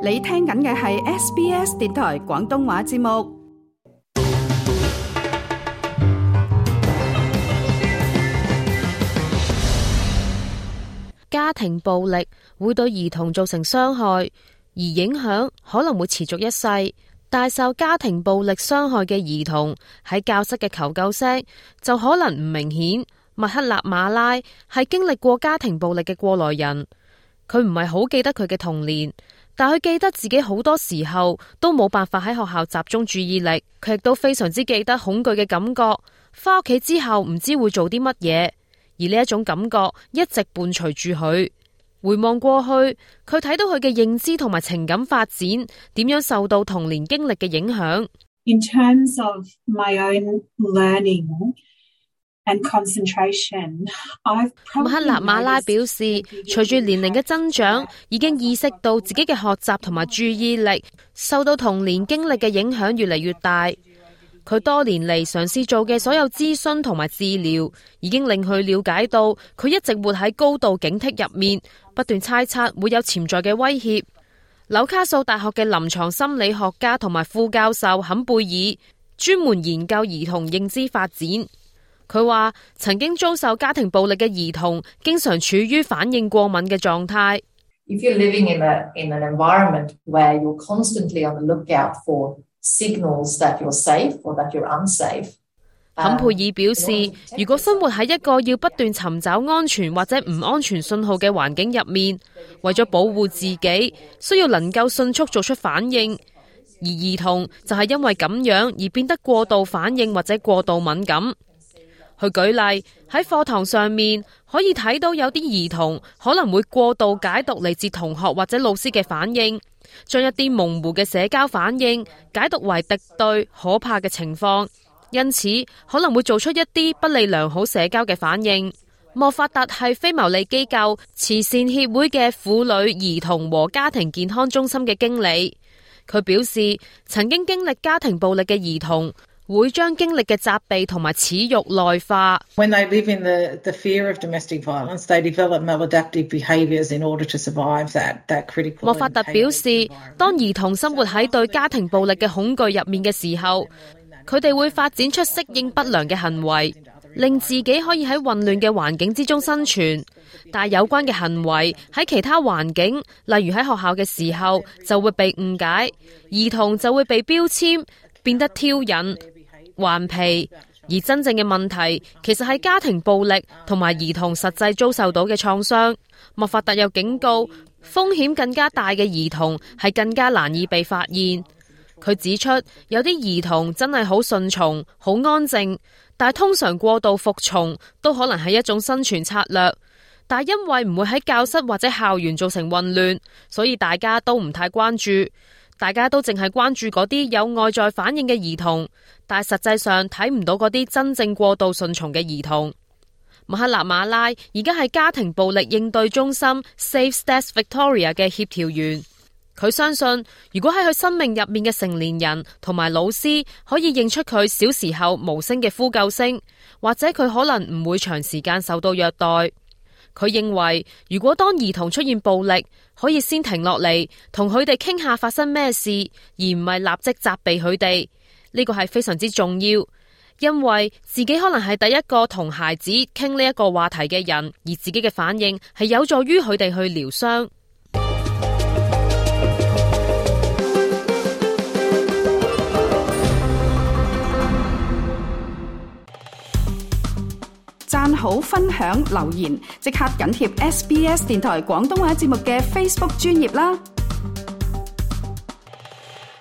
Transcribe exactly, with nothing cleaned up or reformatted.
你聽緊嘅係 S B S 電台廣東話節目。家庭暴力會對兒童造成傷害，而影響可能會持續一世。但受家庭暴力傷害嘅兒童喺教室嘅求救聲就可能唔明顯。麥克納馬拉係經歷過家庭暴力嘅過來人，佢唔係好記得佢嘅童年，但佢記得自己好多時候都冇辦法喺學校集中注意力。佢亦都非常之記得恐懼嘅感覺，返屋企之後唔知會做啲乜嘢。而呢一種感覺一直伴隨住佢。回望過去，佢睇到佢嘅認知同埋情感發展點樣受到童年經歷嘅影響。In terms of my own learning and concentration, I've 麥克納馬拉表示，隨住年齡嘅增長，已經意識到自己嘅學習同埋注意力受到童年經歷嘅影響越嚟越大。佢多年嚟嘗試做嘅所有諮詢同埋治療，已經令佢了解到佢一直活喺高度警惕入面，不斷猜測會有潛在嘅威脅。紐卡素大學嘅臨床心理學家同埋副教授坎貝爾專門研究兒童認知發展。佢話曾經遭受家庭暴力嘅兒童經常處於反應過敏嘅狀態。If you're living in a, in an environment where you're constantly on the lookout for signals that you're safe or that you're unsafe. 坎佩爾表示，如果生活喺一個要不斷尋找安全或者唔安全信號嘅環境入面，為咗保護自己，需要能夠迅速做出反應。而兒童就係因為咁樣而變得過度反應或者過度敏感。去舉例，喺課堂上面可以睇到有啲兒童可能會過度解讀嚟自同學或者老師嘅反應，將一啲模糊嘅社交反應解讀為敵對可怕嘅情況，因此可能會做出一啲不利良好社交嘅反應。莫法特係非牟利機構慈善協會嘅婦女、兒童和家庭健康中心嘅經理，佢表示曾經經歷家庭暴力嘅兒童會將經歷嘅責備同埋恥辱內化。When they live in the, the fear of domestic violence, they develop maladaptive behaviours in order to survive that, that critical. 莫法特表示，當兒童生活喺對家庭暴力嘅恐懼入面嘅時候，佢哋會發展出適應不良嘅行為，令自己可以喺混亂嘅環境之中生存。但有關嘅行為喺其他環境，例如喺學校嘅時候，就會被誤解，兒童就會被標籤，變得挑釁、頑皮，而真正嘅問題其實係家庭暴力同埋兒童實際遭受到嘅創傷。莫法特又警告，風險更加大嘅兒童係更加難以被發現。佢指出，有啲兒童真係好順從、好安靜，但係通常過度服從都可能係一種生存策略。但係因為唔會喺教室或者校園造成混亂，所以大家都唔太關注。大家都淨係關注嗰啲有外在反應嘅兒童，但係實際上睇唔到嗰啲真正過度順從嘅兒童。麥克納馬拉而家係家庭暴力應對中心 Safe Steps Victoria 嘅協調員，佢相信如果喺佢生命入面嘅成年人同埋老師可以認出佢小時候無聲嘅呼救聲，或者佢可能唔會長時間受到虐待。佢認為，如果當兒童出現暴力，可以先停落嚟，同佢哋傾下發生咩事，而唔係立即責備佢哋。呢個係非常之重要，因為自己可能係第一個同孩子傾呢一個話題嘅人，而自己嘅反應係有助於佢哋去療傷。讚好、分享、留言，即刻緊貼 S B S 電台廣東話節目嘅 Facebook 專頁啦！